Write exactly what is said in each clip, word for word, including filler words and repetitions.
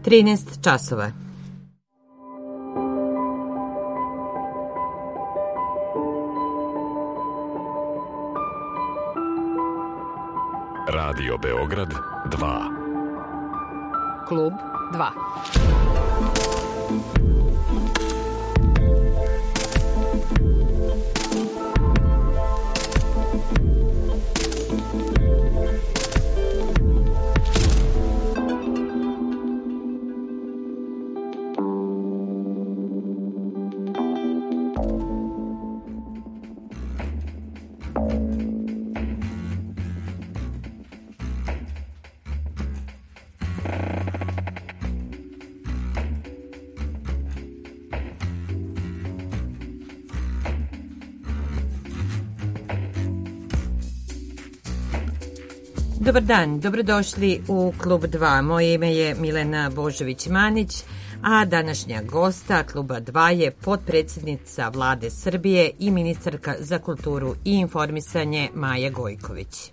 trinaest časova. Radio Beograd dva. Klub dva. Dobar dan, dobrodošli u Klub dva. Moje ime je Milena Božović-Manić, a današnja gosta Kluba dva je potpredsjednica Vlade Srbije i ministarka za kulturu i informisanje Maja Gojković.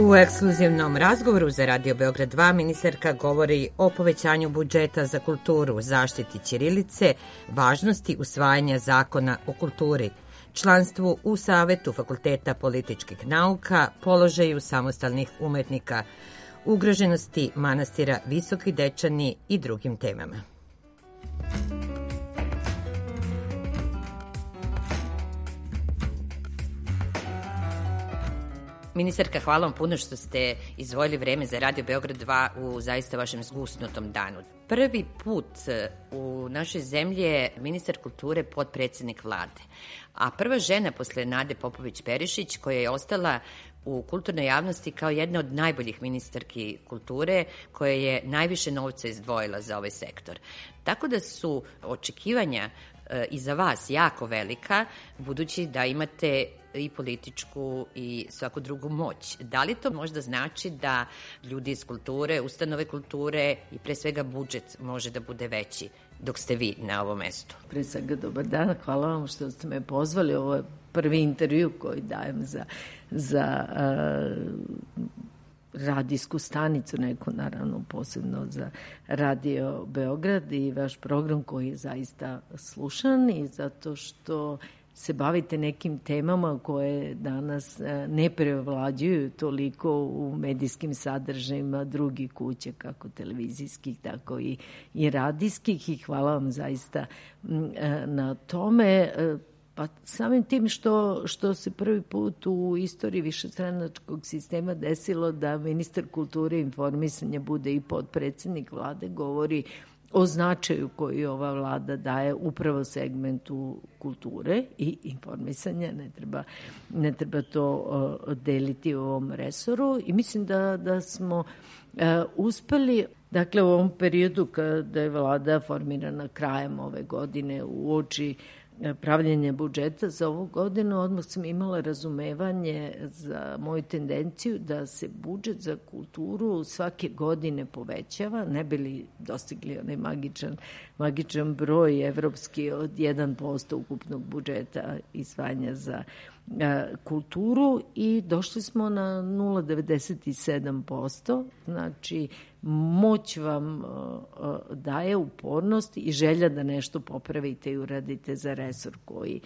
U ekskluzivnom razgovoru za Radio Beograd dva ministarka govori o povećanju budžeta za kulturu, zaštiti ćirilice, važnosti usvajanja zakona o kulturi, članstvu u Savetu Fakulteta političkih nauka, položaju samostalnih umetnika, ugroženosti manastira Visoki Dečani i drugim temama. Ministarka, hvala vam puno što ste izdvojili vreme za Radio Beograd dva u zaista vašem zgusnutom danu. Prvi put u našoj zemlji je ministar kulture potpredsjednik Vlade, a prva žena posle Nade Popović-Perišić, koja je ostala u kulturnoj javnosti kao jedna od najboljih ministarki kulture, koja je najviše novca izdvojila za ovaj sektor. Tako da su očekivanja i za vas jako velika, budući da imate i političku i svaku drugu moć. Da li to možda znači da ljudi iz kulture, ustanove kulture i pre svega budžet može da bude veći dok ste vi na ovom mestu? Pre svega dobar dan, hvala vam što ste me pozvali. Ovo je prvi intervju koji dajem za, za uh, radijsku stanicu, neku naravno posebno za Radio Beograd i vaš program koji je zaista slušan i zato što se bavite nekim temama koje danas ne prevlađuju toliko u medijskim sadržajima drugih kuća, kako televizijskih, tako i, i radijskih, i hvala vam zaista na tome. Pa samim tim što, što se prvi put u istoriji višestranačkog sistema desilo da ministar kulture i informisanja bude i potpredsjednik Vlade, govori o značaju koji ova vlada daje upravo segmentu kulture i informisanja. Ne treba, ne treba to uh, deliti u ovom resoru i mislim da, da smo uh, uspeli, dakle u ovom periodu kada je vlada formirana krajem ove godine uoči pravljenje budžeta za ovu godinu, odmah sam imala razumevanje za moju tendenciju da se budžet za kulturu svake godine povećava, ne bi li dostigli onaj magičan, magičan broj evropski od jedan posto ukupnog budžeta izdvajanja za kulturu i došli smo na nula zarez devedeset sedam posto, znači moć vam daje upornost i želja da nešto popravite i uradite za resor koji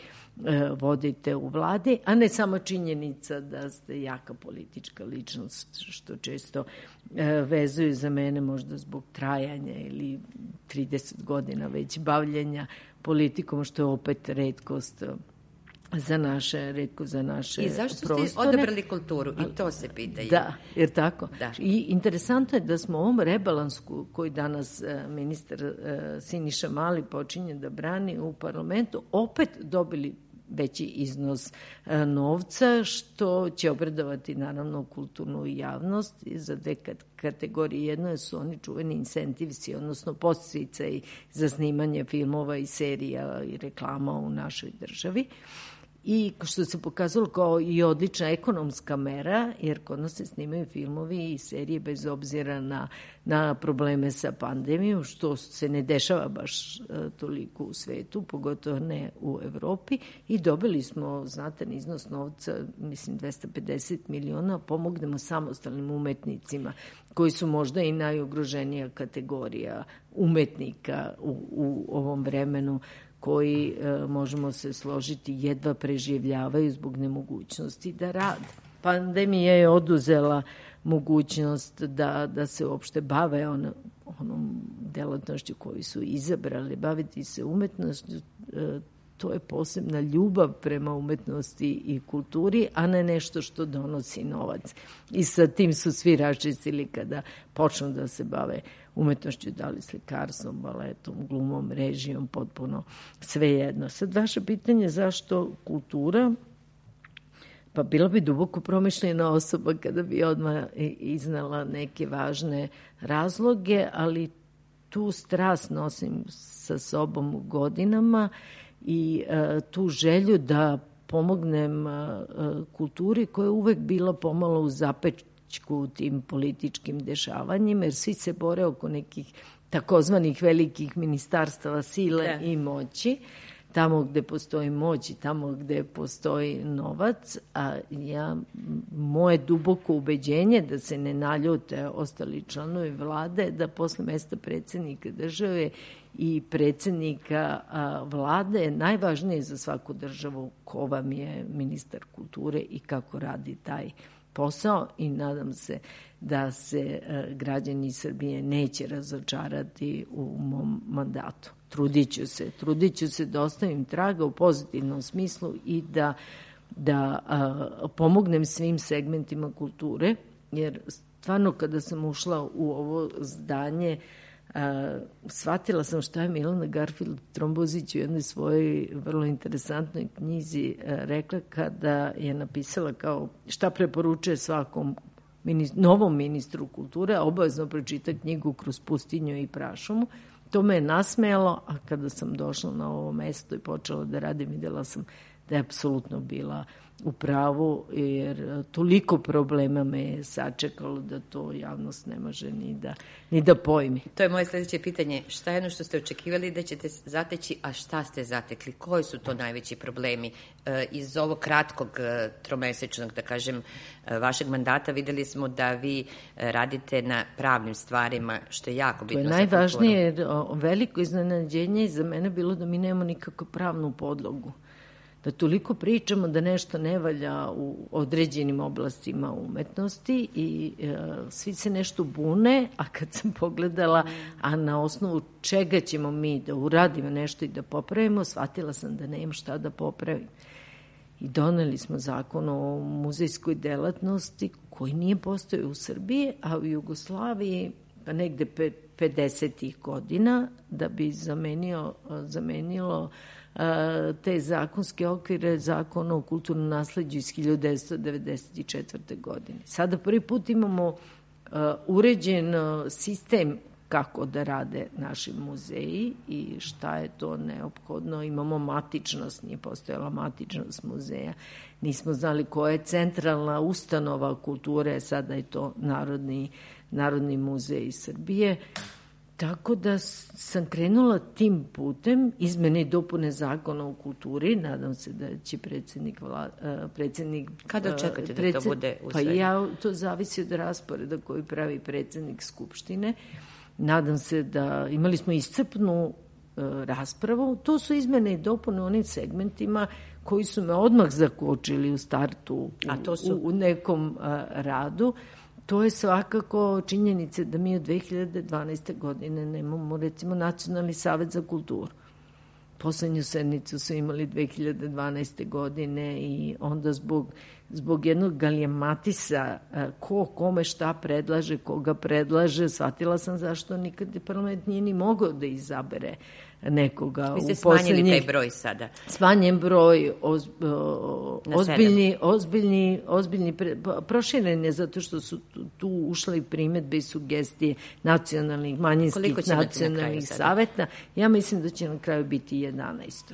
vodite u vladi, a ne samo činjenica da ste jaka politička ličnost, što često vezuju za mene možda zbog trajanja ili trideset godina već bavljenja politikom, što je opet retkost za naše, retko za naše prostore. I zašto prostore. Ste odabrali kulturu? I to se pitaju. Da, jer tako. Da. I interesantno je da smo u ovom rebalansu koji danas ministar Siniša Mali počinje da brani u parlamentu, opet dobili veći iznos novca, što će obradovati naravno kulturnu javnost za dve kategorije. Jedno su oni čuveni incentivci, odnosno podsticaji za snimanje filmova i serija i reklama u našoj državi. i što se pokazalo kao i odlična ekonomska mera, jer kod nas se snimaju filmovi i serije bez obzira na, na probleme sa pandemijom, što se ne dešava baš uh, toliko u svetu, pogotovo ne u Evropi, i dobili smo znatan iznos novca, mislim dvesta pedeset miliona, pomognemo samostalnim umetnicima koji su možda i najugroženija kategorija umetnika u, u ovom vremenu, koji, e, možemo se složiti, jedva preživljavaju zbog nemogućnosti da rade. Pandemija je oduzela mogućnost da, da se uopšte bave on, onom delatnošću koju su izabrali. Baviti se umetnošću, e, to je posebna ljubav prema umetnosti i kulturi, a ne nešto što donosi novac. I sa tim su svi raščistili kada počnu da se bave umetnošću, da li slikarstvom, baletom, glumom, režijom, potpuno svejedno. Sad, vaše pitanje zašto kultura? Pa bila bi duboko promišljena osoba kada bi odmah iznala neke važne razloge, ali tu strast nosim sa sobom godinama i uh, tu želju da pomognem uh, kulturi koja je uvek bila pomalo u zapečku u tim političkim dešavanjima, jer svi se bore oko nekih takozvanih velikih ministarstava sile da. I moći, tamo gde postoji moć i tamo gde postoji novac, a ja, moje duboko ubeđenje da se ne naljute ostali članovi vlade, da posle mesta predsednika države i predsednika a, vlade je najvažnije za svaku državu ko vam je ministar kulture i kako radi taj posao, i nadam se da se a, građani Srbije neće razočarati u mom mandatu. Trudit ću se, trudit ću se da ostavim traga u pozitivnom smislu i da, da a, pomognem svim segmentima kulture, jer stvarno kada sam ušla u ovo zdanje, Uh, shvatila sam šta je Milana Garfield Trombozić u jednoj svojoj vrlo interesantnoj knjizi uh, rekla kada je napisala kao šta preporučuje svakom ministru, novom ministru kulture, a obavezno pročita knjigu Kroz pustinju i prašumu. To me je nasmejalo, a kada sam došla na ovo mesto i počela da radim, videla sam da je apsolutno bila u pravu, jer toliko problema me je sačekalo da to javnost ne može ni da, ni da pojmi. To je moje sledeće pitanje. Šta je ono što ste očekivali da ćete zateći, a šta ste zatekli? Koji su to najveći problemi? E, iz ovog kratkog e, tromesečnog, da kažem, e, vašeg mandata videli smo da vi e, radite na pravnim stvarima, što je jako bitno za kulturu. To je najvažnije, jer o, veliko iznenađenje za mene bilo da mi nemamo nikakvu pravnu podlogu. Da toliko pričamo da nešto ne valja u određenim oblastima umetnosti i e, svi se nešto bune, a kad sam pogledala, a na osnovu čega ćemo mi da uradimo nešto i da popravimo, shvatila sam da nemam šta da popravim. I doneli smo zakon o muzejskoj delatnosti koji nije postojao u Srbiji, a u Jugoslaviji pa negde pedesetih godina, da bi zamenio, zamenilo te zakonske okvire Zakona o kulturnom nasleđu iz hiljadu devetsto devedeset četvrte. godine. Sada prvi put imamo uh, uređen uh, sistem kako da rade naši muzeji i šta je to neophodno. Imamo matičnost, nije postojala matičnost muzeja. Nismo znali koja je centralna ustanova kulture, sada je to Narodni, Narodni muzej Srbije. Tako da sam krenula tim putem, izmene i dopune zakona o kulturi, nadam se da će predsednik... Vla, predsednik Kada očekate predsed, da to bude usvojeno? Pa ja, to zavisi od rasporeda koji pravi predsednik Skupštine. Nadam se da imali smo iscrpnu uh, raspravu. To su izmene i dopune u onim segmentima koji su me odmah zakočili u startu u, A to su? u, u nekom uh, radu. To je svakako činjenica da mi od dve hiljade dvanaeste. godine nemamo, recimo, Nacionalni savet za kulturu. Poslednju sednicu su imali dve hiljade dvanaeste. godine i onda zbog, zbog jednog galijamatisa ko kome šta predlaže, koga predlaže, shvatila sam zašto nikad parlament nije ni mogao da izabere nekoga. Vi ste smanjili taj broj sada. Smanjen broj, oz, o, ozbiljni, ozbiljni, ozbiljni pre, proširen je zato što su tu, tu ušle primedbe i sugestije nacionalnih, manjinskih nacionalnih saveta. Ja mislim da će na kraju biti jedanaest.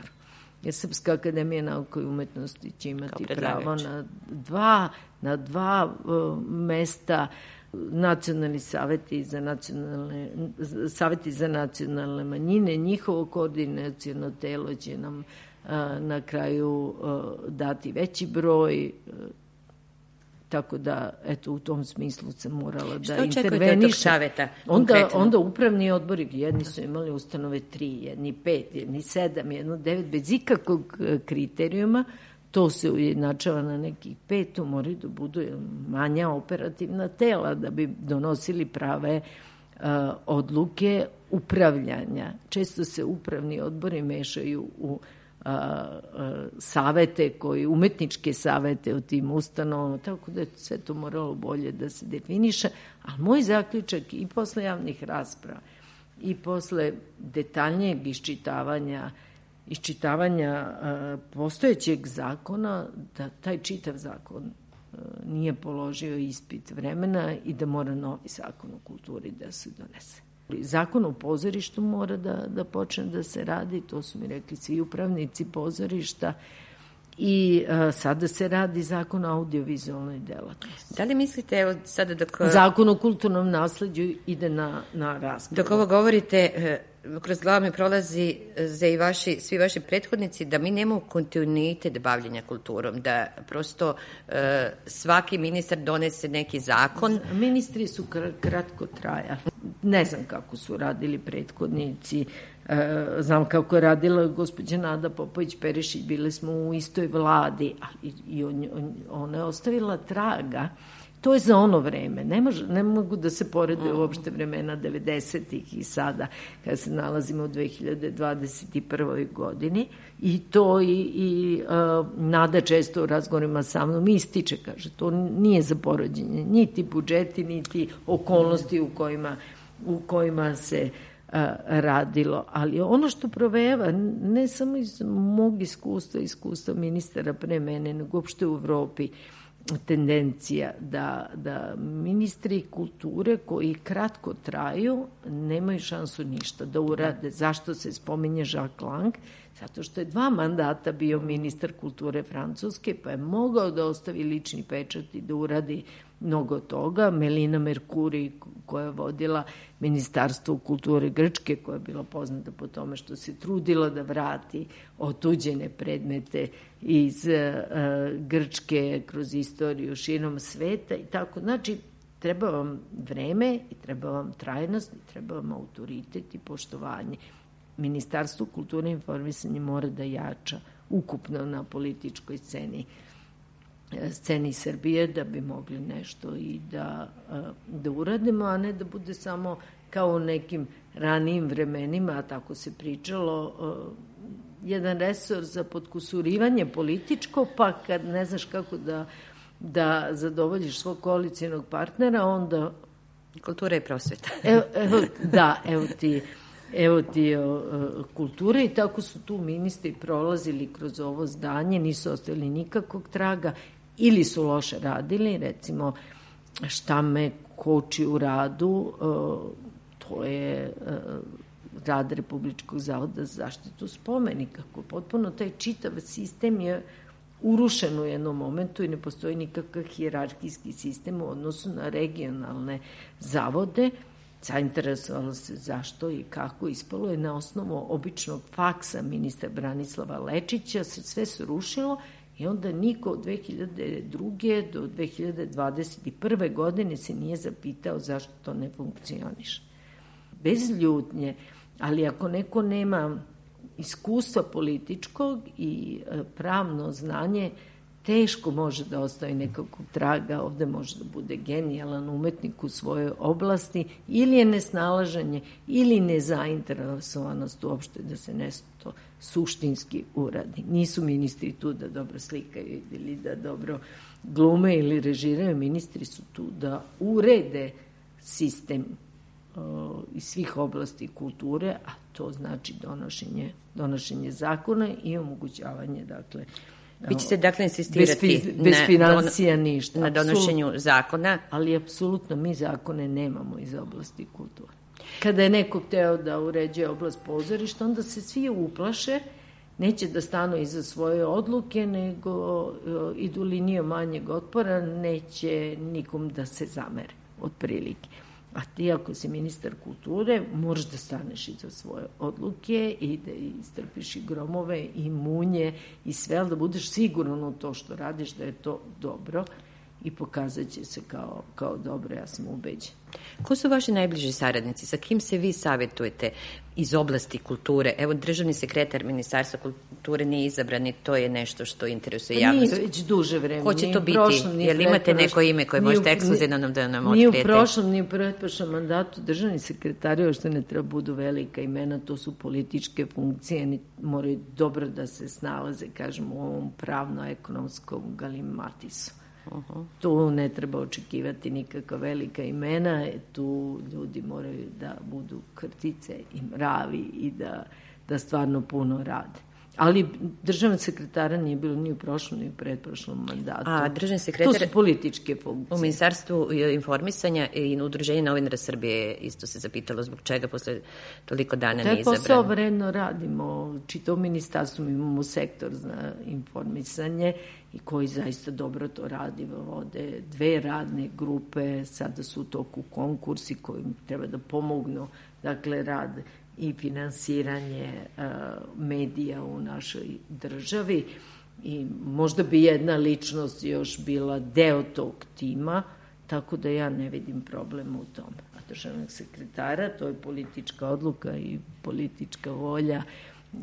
jer Srpska akademija nauka i umetnosti će imati pravo na dva, na dva uh, mesta. Nacionalni saveti za nacionalne, saveti za nacionalne manjine, njihovo koordinaciono telo će nam uh, na kraju uh, dati veći broj, uh, tako da, eto, u tom smislu sam morala da intervenišem. Što očekujete od tog saveta? Onda, onda upravni odbori, jedni su imali ustanove tri, jedni pet, jedni sedam, jedno devet, bez ikakvog kriterijuma. To se ujednačava na nekih pet, to moraju da budu manja operativna tela da bi donosili prave uh, odluke upravljanja. Često se upravni odbori mešaju u a, a, savete, koji, umetničke savete u tim ustanovama, tako da je sve to moralo bolje da se definiše. A moj zaključak i posle javnih rasprava i posle detaljnijeg iščitavanja iščitavanja a, postojećeg zakona, da taj čitav zakon a, nije položio ispit vremena i da mora novi zakon o kulturi da se donese. Zakon o pozorištu mora da, da počne da se radi, to su mi rekli svi upravnici pozorišta, i a, sada se radi zakon o audiovizualnoj delatnosti. Da li mislite, evo sada dok... Zakon o kulturnom nasleđu ide na, na raspravu. Dok ovo govorite, kroz glavu mi prolazi za i vaši, svi vaši prethodnici da mi nemamo kontinuitet bavljenja kulturom, da prosto e, svaki ministar donese neki zakon. Ministri su kratko trajali. Ne znam kako su radili prethodnici, e, znam kako je radila gospođa Nada Popović-Perišić, bile smo u istoj vladi, ali i on, on, ona je ostavila traga. To je za ono vreme. Ne, može, ne mogu da se porede uopšte vremena devedesetih i sada, kada se nalazimo u dve hiljade dvadeset prvoj godini. I to i, i uh, Nada često u razgovorima sa mnom ističe, kaže, to nije za porođenje, niti budžeti, niti okolnosti u kojima, u kojima se uh, radilo. Ali ono što provejava, ne samo iz mog iskustva, iskustva ministara pre mene, nego uopšte u Evropi, tendencija da, da ministri kulture koji kratko traju nemaju šansu ništa da urade. Zašto se spominje Jacques Lang? Zato što je dva mandata bio ministar kulture Francuske, pa je mogao da ostavi lični pečat i da uradi mnogo toga. Melina Mercuri, koja je vodila Ministarstvo kulture Grčke, koja je bila poznata po tome što se trudila da vrati otuđene predmete iz uh, Grčke kroz istoriju širom sveta i tako. Znači, treba vam vreme i treba vam trajnost i treba vam autoritet i poštovanje. Ministarstvo kulture i informisanja mora da jača ukupno na političkoj sceni sceni Srbije da bi mogli nešto i da, da uradimo, a ne da bude samo kao u nekim ranijim vremenima, a tako se pričalo, jedan resor za potkusurivanje političko, pa kad ne znaš kako da, da zadovoljiš svog koalicijenog partnera, onda... Kultura i prosveta. Evo, evo, da, evo ti... Evo ti o, o, kulture i tako su tu ministri prolazili kroz ovo zdanje, nisu ostavili nikakvog traga ili su loše radili, recimo šta me koči u radu, o, to je o, rad Republičkog zavoda za zaštitu spomenika, kako potpuno taj čitav sistem je urušen u jednom momentu i ne postoji nikakav hijerarhijski sistem u odnosu na regionalne zavode. Zainteresovala se zašto i kako, ispalo je na osnovu običnog faksa ministra Branislava Lečića, se sve se rušilo i onda niko od dve hiljade druge do dve hiljade dvadeset prve godine se nije zapitao zašto to ne funkcioniše. Bez ljutnje, ali ako neko nema iskustva političkog i pravno znanje, teško može da ostavi nekakvog traga, ovde može da bude genijalan umetnik u svojoj oblasti, ili je nesnalaženje, ili nezainteresovanost uopšte da se nešto suštinski uradi. Nisu ministri tu da dobro slikaju ili da dobro glume ili režiraju, ministri su tu da urede sistem o, iz svih oblasti kulture, a to znači donošenje, donošenje zakona i omogućavanje, dakle, Vi ćete dakle insistirati bez, bez financija na, ništa, na donošenju apsolutno, zakona. Ali apsolutno mi zakone nemamo iz oblasti kulture. Kada je neko hteo da uređuje oblast pozorišta, onda se svi uplaše neće da stanu iza svoje odluke, nego uh, idu linijom manjeg otpora, neće nikom da se zamere, otprilike. A ti ako si ministar kulture, moraš da staneš iza svoje odluke i da istrpiš i gromove i munje i sve, ali da budeš siguran u to što radiš, da je to dobro i pokazat će se kao, kao dobro, ja sam ubeđen. Ko su vaši najbliži saradnici? Sa kim se vi savjetujete iz oblasti kulture? Evo, državni sekretar Ministarstva kulture nije izabran i to je nešto što interesuje javnost. Nije već duže vreme. Ko će to biti? Prošlom, Jel imate neko ime koje možete ekskluzivno nam da nam otkrijete? Ni u prošlom, ni u pretprošlom mandatu državni sekretari, još što ne treba budu velika imena, to su političke funkcije, ni moraju dobro da se snalaze, kažem, u ovom pravno-ekonomskom galimatisu. Uh-huh. Tu ne treba očekivati nikakva velika imena, tu ljudi moraju da budu krtice i mravi i da, da stvarno puno rade. Ali državnog sekretara nije bilo ni u prošlom, ni u pretprošlom mandatu. A državni sekretar... To su političke funkcije. U Ministarstvu informisanja i Udruženje novinara Srbije isto se zapitalo zbog čega posle toliko dana nije izabran. Taj posao vredno radimo. Čitav ministarstvo, imamo sektor za informisanje i koji zaista dobro to radi. Vode dve radne grupe, sada su u toku konkursi koji treba da pomognu, dakle, rad i finansiranje uh, medija u našoj državi i možda bi jedna ličnost još bila deo tog tima, tako da ja ne vidim problema u tome. A državnog sekretara, to je politička odluka i politička volja uh,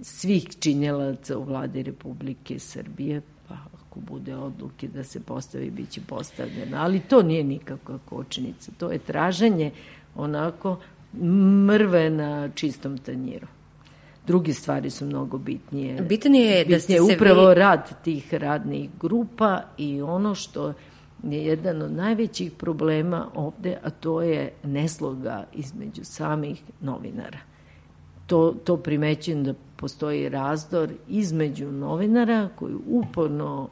svih činjelaca u vladi Republike Srbije, pa ako bude odluke da se postavi, bit će postavljeno. Ali to nije nikakva kočenica, to je traženje onako mrve na čistom tanjiru. Druge stvari su mnogo bitnije. Bitan je da ste se upravo vi... rad tih radnih grupa i ono što je jedan od najvećih problema ovde, a to je nesloga između samih novinara. To, to primećujem da postoji razdor između novinara koji uporno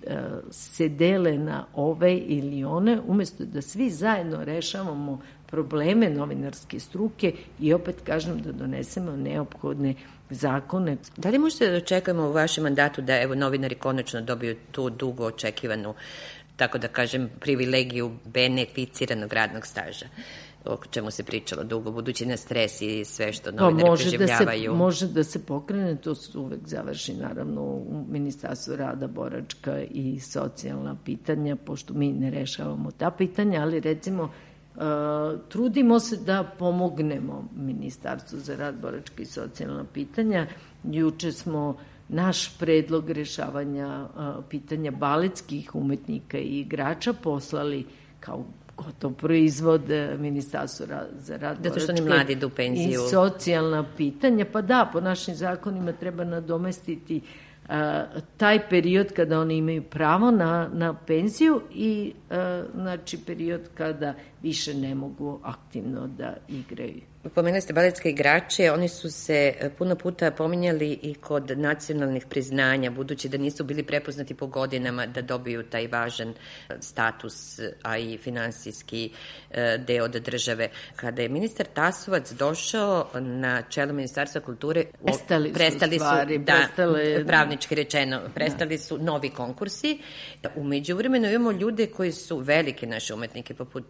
e, se dele na ove ili one, umjesto da svi zajedno rešavamo probleme novinarske struke i opet kažem da donesemo neophodne zakone. Da li možete da očekujemo u vašem mandatu da evo novinari konačno dobiju tu dugo očekivanu, tako da kažem, privilegiju beneficiranog radnog staža, o čemu se pričalo dugo, budući na stres i sve što novinari pa preživljavaju? Da se, može da se pokrene, to se uvek završi naravno u Ministarstvu rada, boračka i socijalna pitanja, pošto mi ne rešavamo ta pitanja, ali recimo Uh, trudimo se da pomognemo Ministarstvu za rad, boračka i socijalna pitanja. Juče smo naš predlog rešavanja uh, pitanja baletskih umetnika i igrača poslali kao gotov proizvod Ministarstvu za rad, zato što oni mladi idu u penziju i socijalna pitanja. Pa da, po našim zakonima treba nadomestiti Uh, taj period kada oni imaju pravo na, na penziju i uh, znači period kada više ne mogu aktivno da igraju. Pomenuli ste baletske igrače, oni su se puno puta pominjali i kod nacionalnih priznanja, budući da nisu bili prepoznati po godinama da dobiju taj važan status, a i finansijski deo od države. Kada je ministar Tasovac došao na čelo Ministarstva kulture, prestali su, prestali su stvari, da, prestale, pravnički rečeno, prestali da. su novi konkursi. U međuvremenu imamo ljude koji su velike naše umetnike, poput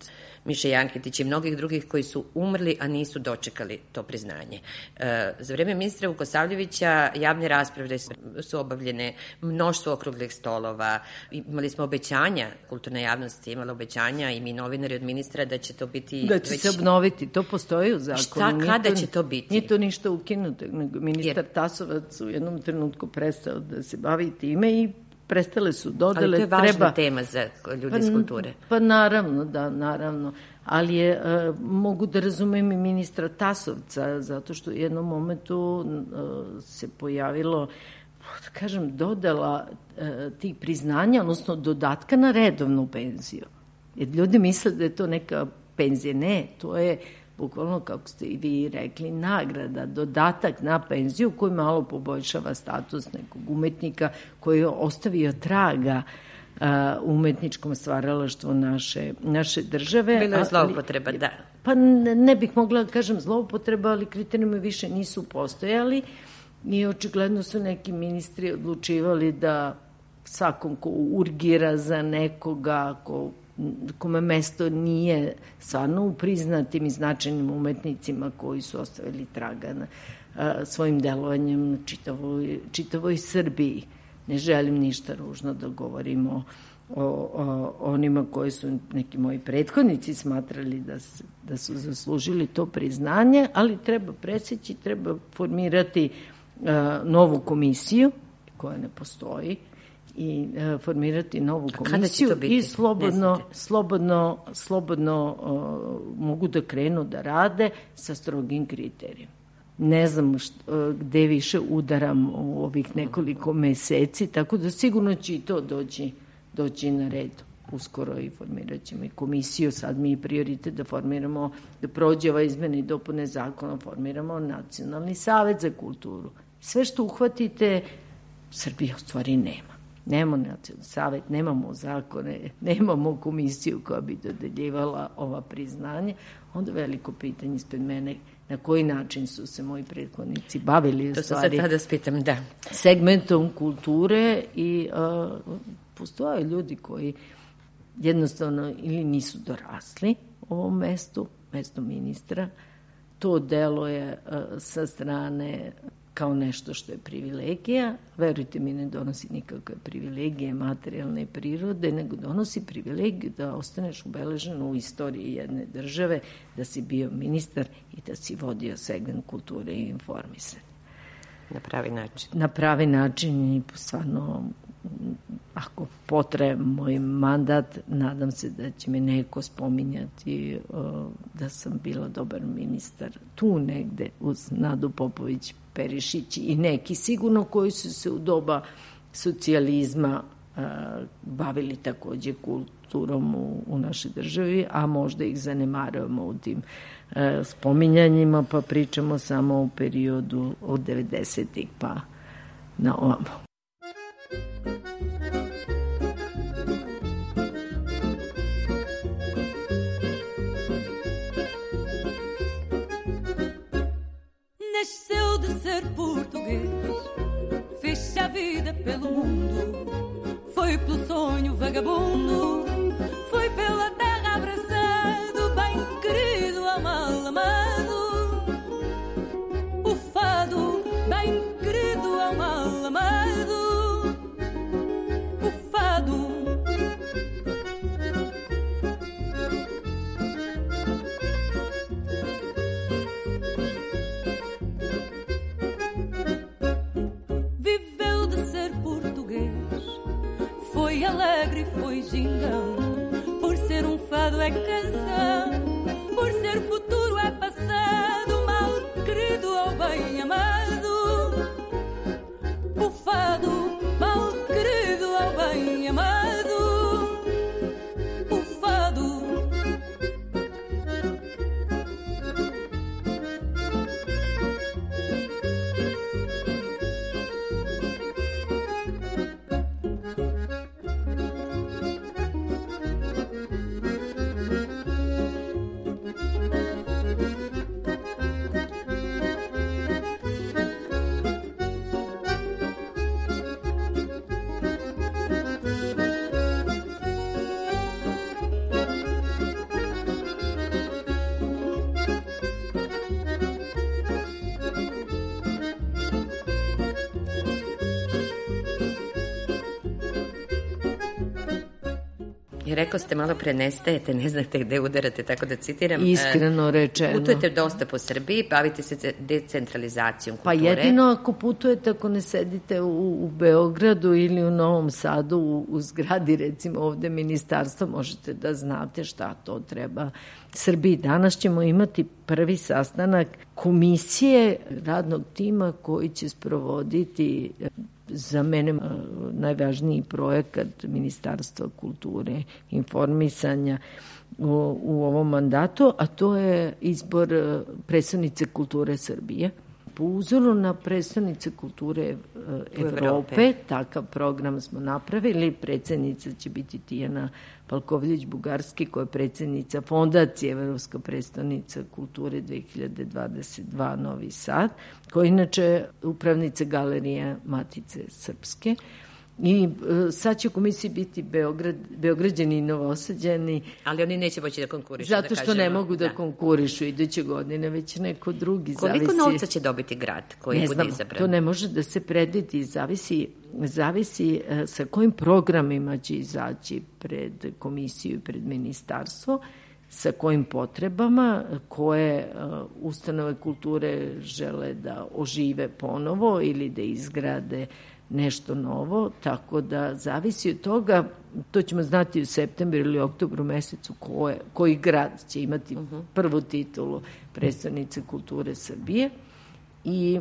Miše Jankitić i mnogih drugih koji su umrli, a nisu dočekali to priznanje. E, za vreme ministra Vukosavljevića javne rasprave su obavljene, mnoštvo okruglih stolova, imali smo obećanja, kulturna javnost je imala obećanja i mi novinari od ministra da će to biti... Da će već... se obnoviti, to postoji u zakonu. Šta, kada to, će to biti? Nije to ništa ukinuto, nego ministar Jer... Tasovac u jednom trenutku prestao da se bavi time i prestale su dodele. Ali to je važna treba... tema za ljude pa, iz kulture. Pa naravno, da, naravno. Ali je, uh, mogu da razumem i ministra Tasovca, zato što u jednom momentu uh, se pojavilo, da kažem, dodela uh, tih priznanja, odnosno dodatka na redovnu penziju. Jer ljudi misle da je to neka penzija. Ne, to je bukvalno, kako ste i vi rekli, nagrada, dodatak na penziju koji malo poboljšava status nekog umetnika koji je ostavio traga uh, umetničkom stvaralaštvu naše, naše države. Bilo je zloupotreba, da. Pa ne, ne bih mogla da kažem zloupotreba, ali kriterijumi više nisu postojali I očigledno su neki ministri odlučivali da svakom ko urgira za nekoga, ko, kome mesto nije stvarno u priznatim i značajnim umetnicima koji su ostavili traga na a, svojim delovanjem čitavoj, čitavoj Srbiji. Ne želim ništa ružno da govorimo o, o onima koji su neki moji prethodnici smatrali da, se, da su zaslužili to priznanje, ali treba preseći, treba formirati a, novu komisiju koja ne postoji i a, formirati novu komisiju i slobodno, slobodno, slobodno a, mogu da krenu da rade sa strogim kriterijima. Ne znam što, gde više udaram u ovih nekoliko meseci, tako da sigurno će i to doći, doći na red. Uskoro i formirat ćemo i komisiju, sad mi je prioritet da formiramo, da prođe ova izmene i dopune zakona, formiramo Nacionalni savet za kulturu. Sve što uhvatite, Srbija u stvari nema. Nemamo Nacionalni savet, nemamo zakone, nemamo komisiju koja bi dodeljivala ova priznanje. Onda veliko pitanje ispred mene, na koji način su se moji prethodnici bavili u to stvari sad tada spitam, da. segmentom kulture i uh, postoje ljudi koji jednostavno ili nisu dorasli ovom mestu, mestu ministra. To delo je uh, sa strane kao nešto što je privilegija. Verujte mi, ne donosi nikakve privilegije materijalne prirode, nego donosi privilegiju da ostaneš ubeležen u istoriji jedne države, da si bio ministar i da si vodio segment kulture i informisanja. Na pravi način. Na pravi način i stvarno, ako potraje moj mandat, nadam se da će me neko spominjati uh, da sam bila dobar ministar tu negde uz Nadu Popović Perišić i neki sigurno koji su se u doba socijalizma uh, bavili takođe kulturom u, u našoj državi, a možda ih zanemarujemo u tim uh, spominjanjima, pa pričamo samo o periodu od devedesetih pa na ovamo. Nasceu de ser português, fez-se a vida pelo mundo, foi pelo sonho vagabundo, foi pela terra abraçado, bem querido ao mal amado. O fado, bem querido ao mal amado. O fado. Foi alegre, foi gingão, por ser um fado é canção, por ser futuro é passado, mal querido ou bem amado. O fado, mal querido ou bem amado. O fado. Rekao ste malo pre, nestajete, ne znate gde udarate, tako da citiram. Iskreno rečeno. Putujete dosta po Srbiji, bavite se decentralizacijom kulture. Pa jedino ako putujete, ako ne sedite u, u Beogradu ili u Novom Sadu, u, u zgradi recimo ovde ministarstva, možete da znate šta to treba Srbiji. Danas ćemo imati prvi sastanak komisije radnog tima koji će sprovoditi za mene najvažniji projekat Ministarstva kulture i informisanja u, u ovom mandatu, a to je izbor predstavnice kulture Srbije. po uzoru na predstavnice kulture Evrope, Evrope, takav program smo napravili. Predsednica će biti Tijana Palkovljević-Bugarski, koja je predsednica Fondacije Evropska predstavnica kulture dve hiljade dvadeset dva Novi Sad, koja je inače upravnica Galerije Matice Srpske. I e, sad će u komisiji biti Beograd, Beograđani i Novosađani. Ali oni neće moći da konkurišu. Zato da što ne mogu da, da konkurišu iduće godine, već neko drugi. Koliko zavisi, novca će dobiti grad koji ne bude znam, izabran? To ne može da se predvidi, zavisi, zavisi e, sa kojim programima će izaći pred komisiju i pred ministarstvo, sa kojim potrebama, koje uh, ustanove kulture žele da ožive ponovo ili da izgrade nešto novo, tako da zavisi od toga, to ćemo znati u septembru ili oktobru mesecu koje, koji grad će imati uh-huh. prvu titulu predstavnice kulture Srbije i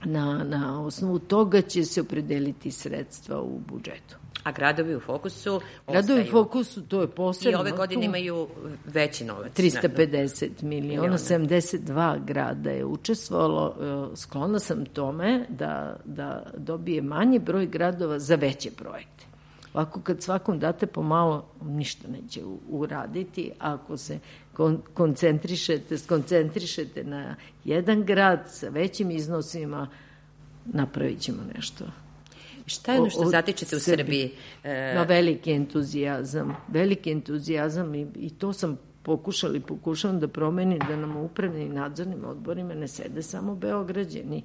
na, na osnovu toga će se opredeliti sredstva u budžetu. A gradovi u fokusu Gradovi u fokusu, to je posebno. I ove godine imaju veći novac. trista pedeset miliona, sedamdeset dva grada je učestvovalo. Sklona sam tome da, da dobije manji broj gradova za veće projekte. Ovako kad svakom date pomalo, ništa neće uraditi. Ako se kon- koncentrišete, skoncentrišete na jedan grad sa većim iznosima, napravit ćemo nešto. Šta je ono što zatičete u Srbiji? Na veliki entuzijazam. Veliki entuzijazam i, i to sam pokušala i pokušavam da promenim, da nam u upravnim i nadzornim odborima ne sede samo Beograđani.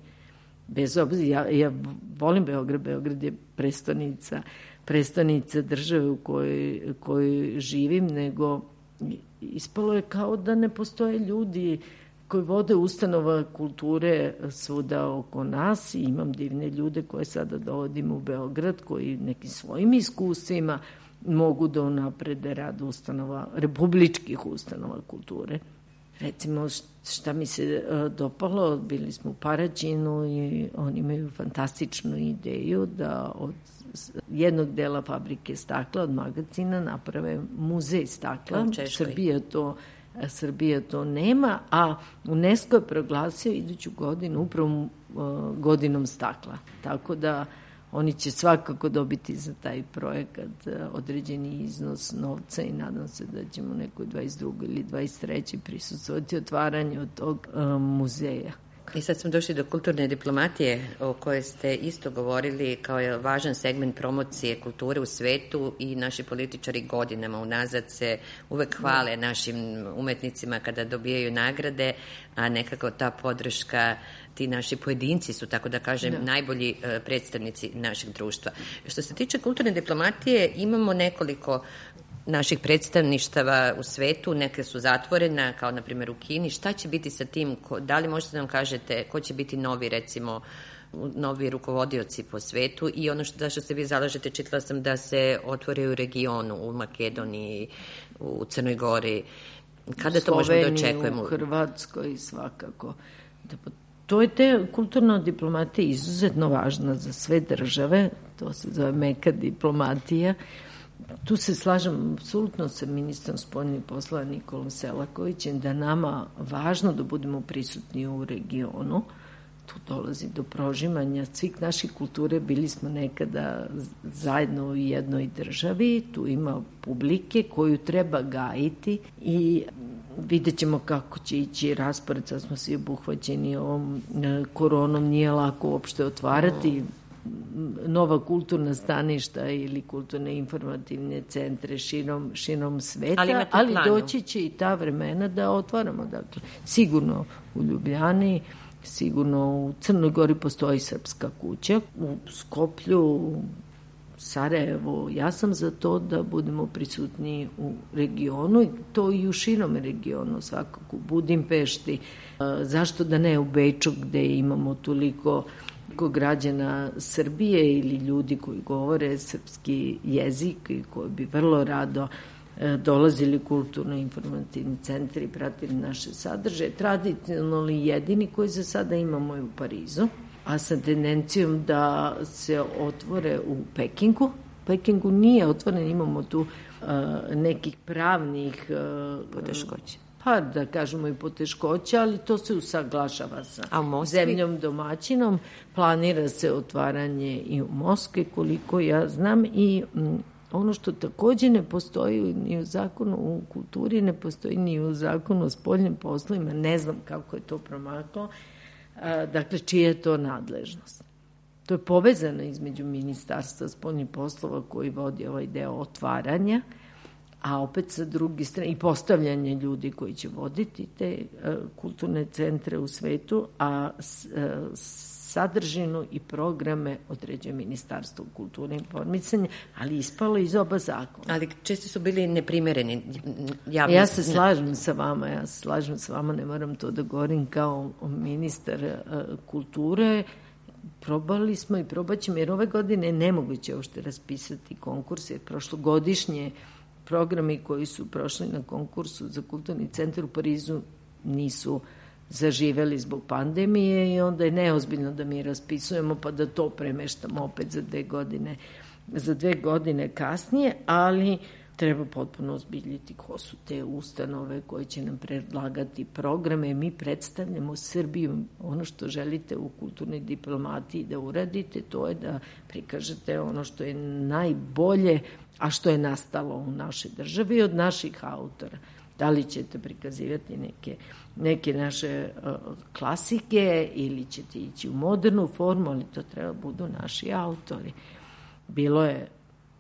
Bez obzira, ja, ja volim Beograd, Beograd je prestonica, prestonica države u kojoj, kojoj živim, nego ispalo je kao da ne postoje ljudi koji vode ustanova kulture svuda oko nas i imam divne ljude koje sada dovodim u Beograd, koji nekim svojim iskustvima mogu da unaprede rad ustanova, republičkih ustanova kulture. Recimo, šta mi se dopalo, bili smo u Paraćinu i oni imaju fantastičnu ideju da od jednog dela fabrike stakla, od magacina, naprave muzej stakla. Srbija to Srbija to nema, a UNESCO je proglasio iduću godinu upravo uh, godinom stakla. Tako da oni će svakako dobiti za taj projekat uh, određeni iznos novca i nadam se da ćemo nekoj dvadeset drugoj ili dvadeset trećoj prisustvovati otvaranju tog uh, muzeja. I sad smo došli do kulturne diplomatije o kojoj ste isto govorili kao je važan segment promocije kulture u svetu i naši političari godinama unazad se uvek hvale našim umetnicima kada dobijaju nagrade, a nekako ta podrška, ti naši pojedinci su, tako da kažem, da. najbolji predstavnici našeg društva. Što se tiče kulturne diplomatije, imamo nekoliko naših predstavništava u svetu, neke su zatvorena, kao na primjer u Kini. Šta će biti sa tim? Da li možete nam kažete ko će biti novi, recimo, novi rukovodioci po svetu i ono što, što se vi zalažete, čitala sam da se otvore u regionu, u Makedoniji, u Crnoj Gori. Kada to možemo da očekujemo? U Hrvatskoj svakako. To je te kulturna diplomatija izuzetno važna za sve države, to se zove meka diplomatija. Tu se slažem apsolutno sa ministrom spoljnih poslova Nikolom Selakovićem da nama važno da budemo prisutni u regionu. Tu dolazi do prožimanja svih naših kulture. Bili smo nekada zajedno u jednoj državi. Tu ima publike koju treba gajiti i vidjet ćemo kako će ići raspored. Sad smo svi obuhvaćeni ovom koronom. Nije lako uopšte otvarati nova kulturna staništa ili kulturne informativne centre širom, širom sveta, ali, ali doći će i ta vremena da otvaramo. Dakle, sigurno u Ljubljani, sigurno u Crnoj Gori postoji srpska kuća, u Skoplju, u Sarajevu. Ja sam za to da budemo prisutni u regionu i to i u širom regionu, svakako u Budimpešti. Zašto da ne u Beču gde imamo toliko građana Srbije ili ljudi koji govore srpski jezik i koji bi vrlo rado dolazili kulturno-informativni centri i pratili naše sadržaje. Tradicionalni jedini koji za sada imamo je u Parizu, a sa tendencijom da se otvore u Pekingu. Pekingu nije otvoren, imamo tu uh, nekih pravnih uh, poteškoća. pa da kažemo i poteškoća, ali to se usaglašava sa zemljom domaćinom. Planira se otvaranje i u Moskvi, koliko ja znam, i m, ono što takođe ne postoji ni u zakonu u kulturi, ne postoji ni u zakonu o spoljnim poslovima, ne znam kako je to promaklo, a, dakle, čija je to nadležnost. To je povezano između Ministarstva spoljnih poslova koji vodi ovaj deo otvaranja, a opet sa druge strane i postavljanje ljudi koji će voditi te uh, kulturne centre u svetu, a s, uh, sadržinu i programe određuje Ministarstvo kulture i informisanja, ali ispalo iz oba zakona. Ali često su bili neprimereni. Javno... Ja se slažem sa vama, ja se slažem sa vama, ne moram to da govorim kao ministar uh, kulture. Probali smo i probat ćemo, jer ove godine je nemoguće uopšte raspisati konkurs, jer prošlogodišnje programi koji su prošli na konkursu za kulturni centar u Parizu nisu zaživeli zbog pandemije i onda je neozbiljno da mi raspisujemo pa da to premeštamo opet za dve godine, za dve godine kasnije, ali treba potpuno ozbiljiti ko su te ustanove koje će nam predlagati programe. Mi predstavljamo Srbiju, ono što želite u kulturnoj diplomatiji da uradite, to je da prikažete ono što je najbolje, a što je nastalo u našoj državi od naših autora. Da li ćete prikazivati neke, neke naše uh, klasike ili ćete ići u modernu formu, ali to treba budu naši autori. Bilo je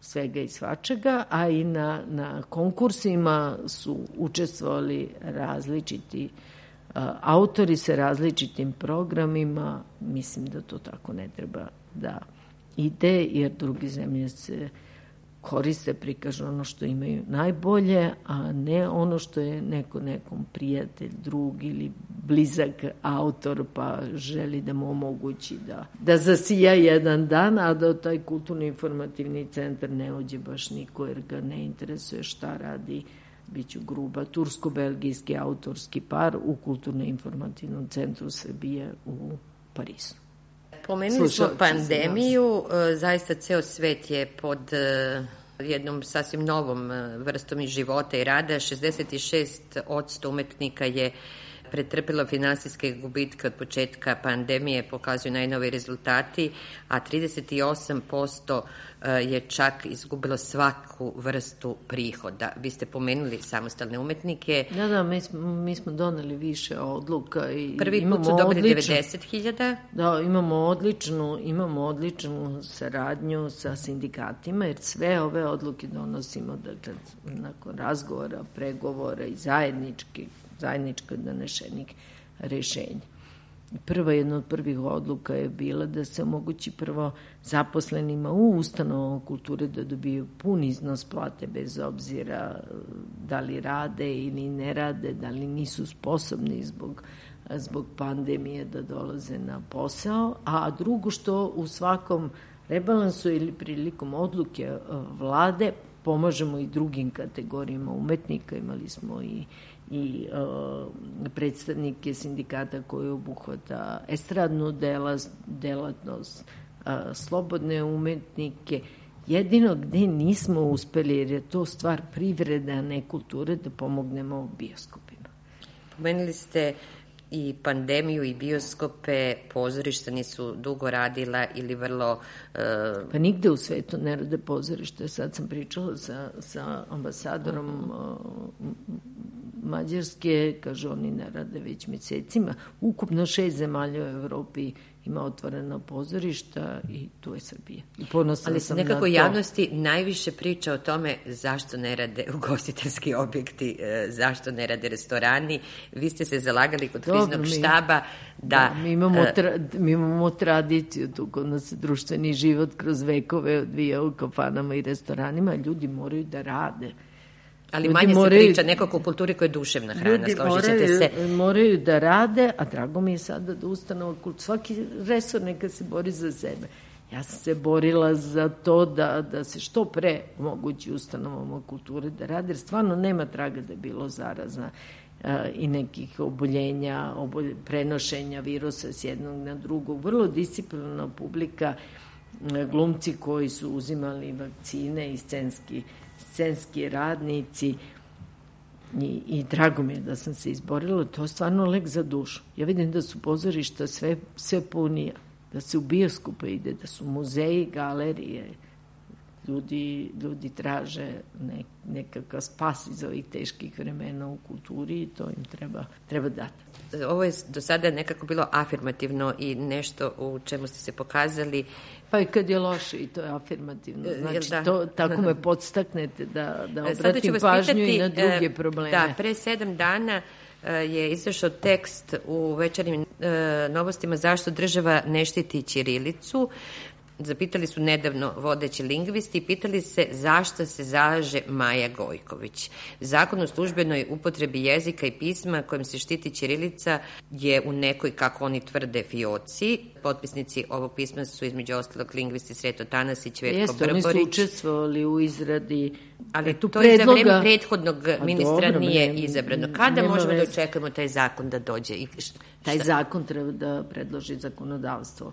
svega i svačega, a i na, na konkursima su učestvovali različiti uh, autori sa različitim programima. Mislim da to tako ne treba da ide, jer druge zemlje se koriste, prikažu ono što imaju najbolje, a ne ono što je neko nekom prijatelj, drug ili blizak autor, pa želi da mu omogući da, da zasija jedan dan, a da taj kulturno informativni centar ne uđe baš niko, jer ga ne interesuje šta radi, biću gruba, tursko-belgijski autorski par u kulturno-informativnom centru Srbije u Parizu. Pomenuli smo pandemiju, zaista ceo svet je pod jednom sasvim novom vrstom i života i rada. šezdeset šest posto umetnika je pretrpilo finansijske gubitke od početka pandemije, pokazuju najnoviji rezultati, a trideset osam posto je čak izgubilo svaku vrstu prihoda. Vi ste pomenuli samostalne umetnike. Da, da, mi smo, mi smo doneli više odluka. I prvi put su dobili devedeset hiljada. Da, imamo odličnu, imamo odličnu saradnju sa sindikatima, jer sve ove odluke donosimo dakle, nakon razgovora, pregovora i zajedničkih zajedničko donešenih rešenja. Prva jedna od prvih odluka je bila da se omogući prvo zaposlenima u ustanovama kulture da dobiju pun iznos plate bez obzira da li rade ili ne rade, da li nisu sposobni zbog, zbog pandemije da dolaze na posao, a drugo što u svakom rebalansu ili prilikom odluke vlade pomažemo i drugim kategorijama umetnika. Imali smo i i uh, predstavnike sindikata koji obuhvata estradnu dela, delatnost, uh, slobodne umetnike. Jedino gde nismo uspeli, jer je to stvar privrede, a ne kulture, da pomognemo bioskopima. Pomenuli ste i pandemiju i bioskope, pozorišta nisu dugo radila ili vrlo... Uh... Pa nigde u svetu ne rade pozorište. Sad sam pričala sa, sa ambasadorom uh, Mađarske, kaže oni ne rade već mesecima. Ukupno šest zemalja u Evropi ima otvorena pozorišta i tu je Srbija. I ponosna sam na to. Ali nekako javnosti najviše priča o tome zašto ne rade ugostiteljski objekti, zašto ne rade restorani. Vi ste se zalagali kod Dobro, kriznog mi, štaba da... da mi, imamo tra, mi imamo tradiciju, tu kod nas društveni život kroz vekove odvija u kafanama i restoranima, ljudi moraju da rade. Ali ljudi manje moraju, se priča nekako u kulturi koja je duševna hrana, složit ćete se. Ljudi moraju da rade, a drago mi je sada da ustanova kultura, svaki resor neka se bori za sebe. Ja sam se borila za to da, da se što pre omogući ustanovama kulture da rade, jer stvarno nema traga da je bilo zaraza a, i nekih oboljenja, obolj, prenošenja virusa s jednog na drugog. Vrlo disciplinarna publika, glumci koji su uzimali vakcine i scenski scenski radnici. I, i drago mi je da sam se izborila, to je stvarno lek za dušu. Ja vidim da su pozorišta sve, sve punija, da se u bioskope ide, da su muzeji, galerije, ljudi, ljudi traže ne, nekakav spas iz ovih teških vremena u kulturi i to im treba, treba dati. Ovo je do sada nekako bilo afirmativno i nešto u čemu ste se pokazali. Pa i kad je loše i to je afirmativno. Znači, da. to, tako me podstaknete da, da obratim pažnju pitati, i na druge probleme. Da, pre sedam dana je izašao tekst u Večernjim novostima zašto država ne štiti ćirilicu. Zapitali su nedavno vodeći lingvisti i pitali se zašto se zalaže Maja Gojković. Zakon o službenoj upotrebi jezika i pisma kojim se štiti ćirilica je u nekoj, kako oni tvrde, fioci. Potpisnici ovog pisma su između ostalog lingvisti Sreto Tanasić, Vetko Jeste, Brborić. Oni su učestvovali u izradi Ali tu to predloga... je za vreme prethodnog ministra dobro, nije ne, izabrano. Kada možemo veze. da očekujemo taj zakon da dođe? I šta? Taj zakon treba da predloži zakonodavstvo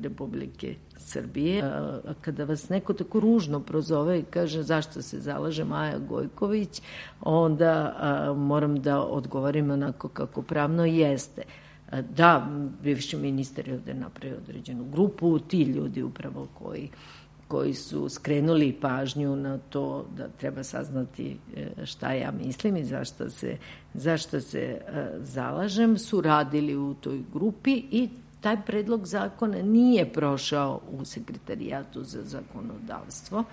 Republike Srbije. A kada vas neko tako ružno prozove i kaže zašto se zalaže Maja Gojković, onda a, moram da odgovorim onako kako pravno jeste. A, da, bivši ministar je ovde napravio određenu grupu, ti ljudi upravo koji koji su skrenuli pažnju na to da treba saznati šta ja mislim i zašto se, zašto se zalažem, su radili u toj grupi i taj predlog zakona nije prošao u Sekretarijatu za zakonodavstvo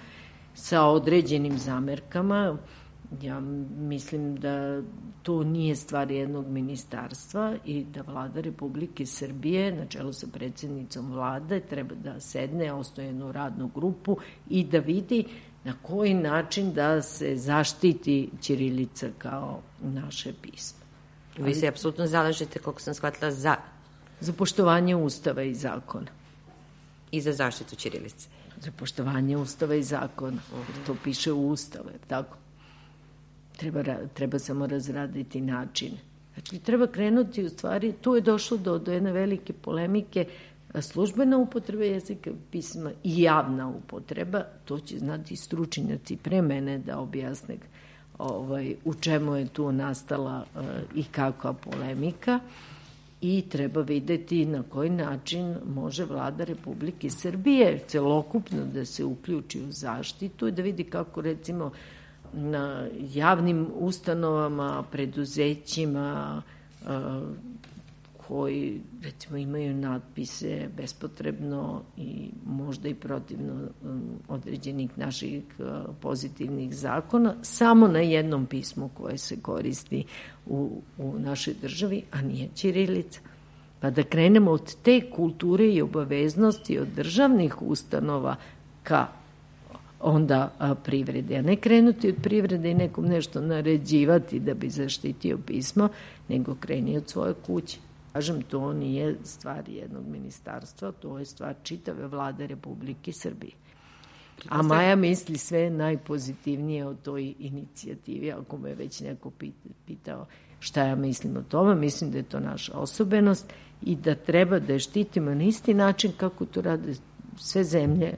sa određenim zamerkama. Ja mislim da to nije stvar jednog ministarstva i da Vlada Republike Srbije na čelu sa predsjednicom Vlade treba da sedne, osnuje jednu radnu grupu i da vidi na koji način da se zaštiti ćirilica kao naše pismo. Vi se apsolutno zalažete, koliko sam shvatila, za... Za poštovanje Ustava i zakona. I za zaštitu ćirilice. Za poštovanje Ustava i zakona. Jer to piše u Ustavu, tako? Treba, treba samo razraditi načine. Znači, treba krenuti u stvari, tu je došlo do, do jedne velike polemike, službena upotreba jezika pisma i javna upotreba, to će znati stručnjaci pre mene da objasne ovaj, u čemu je tu nastala uh, i kakva polemika i treba videti na koji način može Vlada Republike Srbije celokupno da se uključi u zaštitu i da vidi kako recimo na javnim ustanovama, preduzećima koji recimo imaju natpise bespotrebno i možda i protivno određenih naših pozitivnih zakona, samo na jednom pismu koje se koristi u, u našoj državi, a nije ćirilica. Pa da krenemo od te kulture i obaveznosti od državnih ustanova ka onda a, privrede, a ne krenuti od privrede i nekom nešto naređivati da bi zaštitio pismo, nego kreni od svoje kuće. Kažem, to nije stvar jednog ministarstva, to je stvar čitave Vlade Republike Srbije. A Maja misli sve najpozitivnije o toj inicijativi, ako me već neko pitao šta ja mislim o tome, mislim da je to naša osobenost i da treba da je štitimo na isti način kako to rade sve zemlje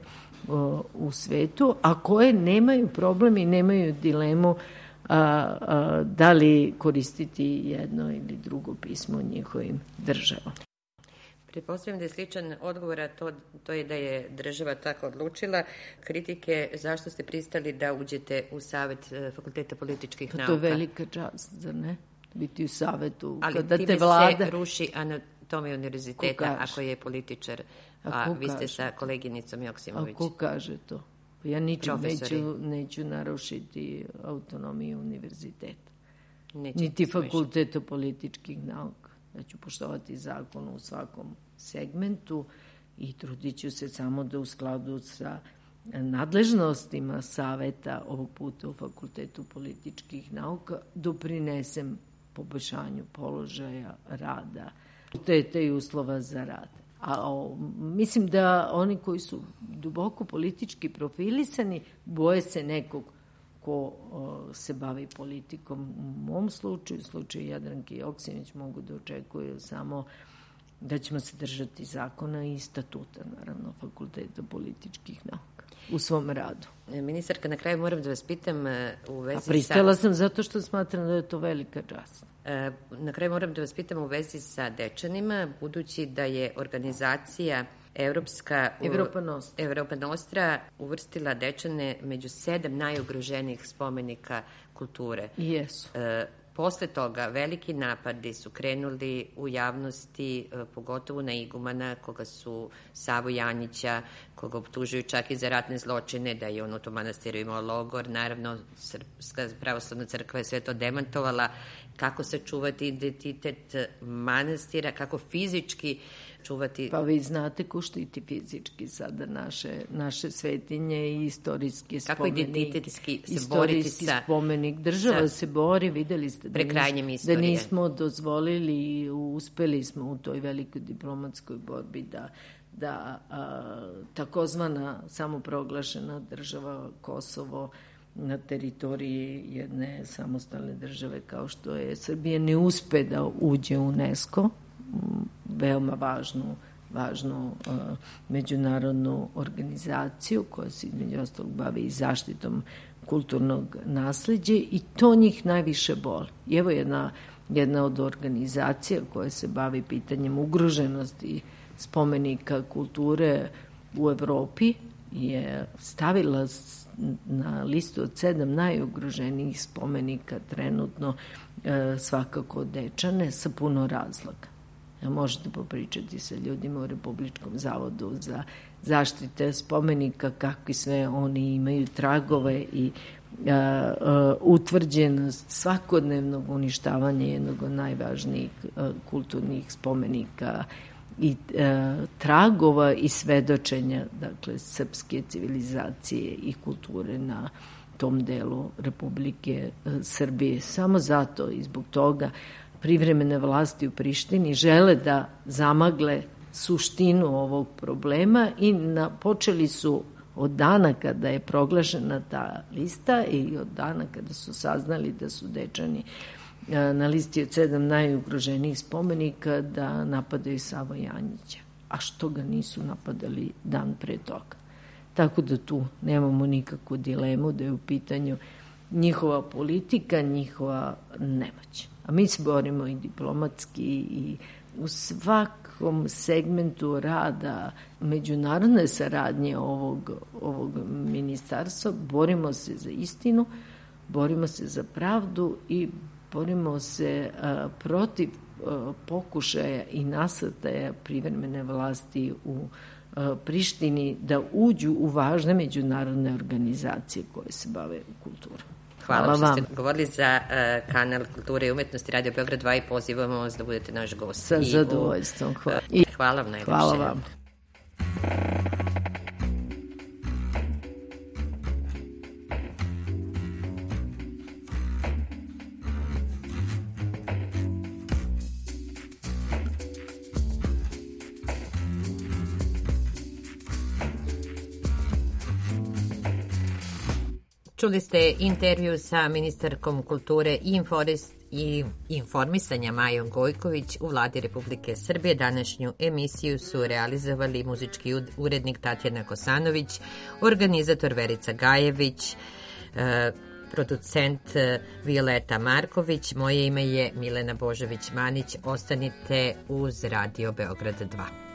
u svetu, a koje nemaju problem i nemaju dilemu a, a, da li koristiti jedno ili drugo pismo u njihovim državama. Pretpostavljam da je sličan odgovor, a to, to je da je država tako odlučila. Kritike zašto ste pristali da uđete u Savet Fakulteta političkih nauka? To je velika čast, zar ne? Biti u savetu. Ali kada time te vlada... se ruši anatomija univerziteta ako je političar, a, a vi ste kaže? Sa koleginicom Joksimović. A ko kaže to? Ja ničim neću, neću narušiti autonomiju univerziteta. Neće niti Fakulteta političkih nauka. Ja ću poštovati zakon u svakom segmentu i trudit ću se samo da u skladu sa nadležnostima saveta ovog puta u Fakultetu političkih nauka doprinesem poboljšanju položaja rada, fakulteta i uslova za rad. A o, mislim da oni koji su duboko politički profilisani boje se nekog ko o, se bavi politikom. U mom slučaju, u slučaju Jadranke Joksimović, mogu da očekuju samo da ćemo se držati zakona i statuta, naravno, Fakulteta političkih nauka. u svom radu. Ministarka, na kraju moram da vas pitam u vezi sa... A pristala sam zato što smatram da je to velika čast. Na kraju moram da vas pitam u vezi sa Dečanima, budući da je organizacija Evropska Evropa Nostra. Evropa Nostra uvrstila Dečane među sedam najugroženijih spomenika kulture. Jesu. E, posle toga veliki napadi su krenuli u javnosti, e, pogotovo na igumana, koga su Savu Janjića, koga optužuju čak i za ratne zločine, da je on u tom manastiru imao logor. Naravno, Srpska pravoslavna crkva je sve to demantovala. Kako sačuvati identitet manastira, kako fizički čuvati... Pa vi znate ko štiti fizički sada naše, naše svetinje i istorijski kako spomenik. Kako identitetski se boriti sa... Istorijski spomenik. Država se bori, videli ste da, nis, da nismo dozvolili i uspeli smo u toj velikoj diplomatskoj borbi da, da a, takozvana samoproglašena država Kosovo na teritoriji jedne samostalne države kao što je Srbija ne uspe da uđe u UNESCO, veoma važnu, važnu uh, međunarodnu organizaciju koja se između ostalog bavi i zaštitom kulturnog nasleđa i to njih najviše boli. I evo jedna, jedna od organizacija koja se bavi pitanjem ugroženosti spomenika kulture u Evropi je stavila na listu od sedam najugroženijih spomenika trenutno e, svakako Dečane sa puno razloga. Ja, možete popričati sa ljudima u Republičkom zavodu za zaštite spomenika, kakvi sve oni imaju tragove i a, a, utvrđenost svakodnevnog uništavanja jednog od najvažnijih a, kulturnih spomenika i e, tragova i svedočenja, dakle, srpske civilizacije i kulture na tom delu Republike e, Srbije. Samo zato i zbog toga privremene vlasti u Prištini žele da zamagle suštinu ovog problema i na, počeli su od dana kada je proglašena ta lista i od dana kada su saznali da su Dečani na listi od sedam najugroženijih spomenika da napadaju Savo Janjića. A što ga nisu napadali dan pre toga? Tako da tu nemamo nikakvu dilemu da je u pitanju njihova politika, njihova nemoć. A mi se borimo i diplomatski i u svakom segmentu rada međunarodne saradnje ovog, ovog ministarstva. Borimo se za istinu, borimo se za pravdu i borimo se a, protiv a, pokušaja i nasrtaja privremene vlasti u a, Prištini da uđu u važne međunarodne organizacije koje se bave kulturom. Hvala, Hvala vam što ste govorili za uh, kanal Kulture i umetnosti Radio Beograd dva i pozivamo vas da budete naš gost. Sa zadovoljstvom. Hvala. I, hvala vam najlepše. Hvala vam. Čuli ste intervju sa ministarkom kulture i, i informisanja Majom Gojković u vladi Republike Srbije. Današnju emisiju su realizovali muzički urednik Tatjana Kosanović, organizator Verica Gajević, eh, producent Violeta Marković. Moje ime je Milena Božović-Manić. Ostanite uz Radio Beograd dva.